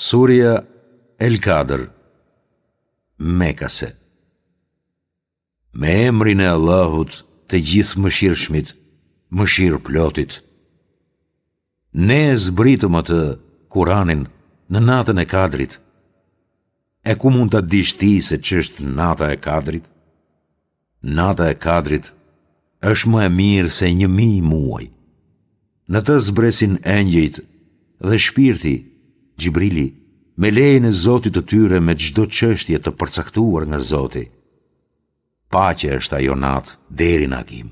Surja El Kadër, Mekase. Me emrin e Allahut, të Gjithëmëshirshmit, Mëshirëplotit. Ne e zbritëm atë, Kuranin, në natën e Kadrit. E ku mund ta dish ti se ç'është nata e Kadrit? Nata e Kadrit është më e mirë se 1000 muaj. Në të zbresin engjëjt dhe shpirti, Xhibrili, me lejen e Zotit të tyre me çdo çështje të përcaktuar nga Zoti. Paqe është ajo natë deri në agim.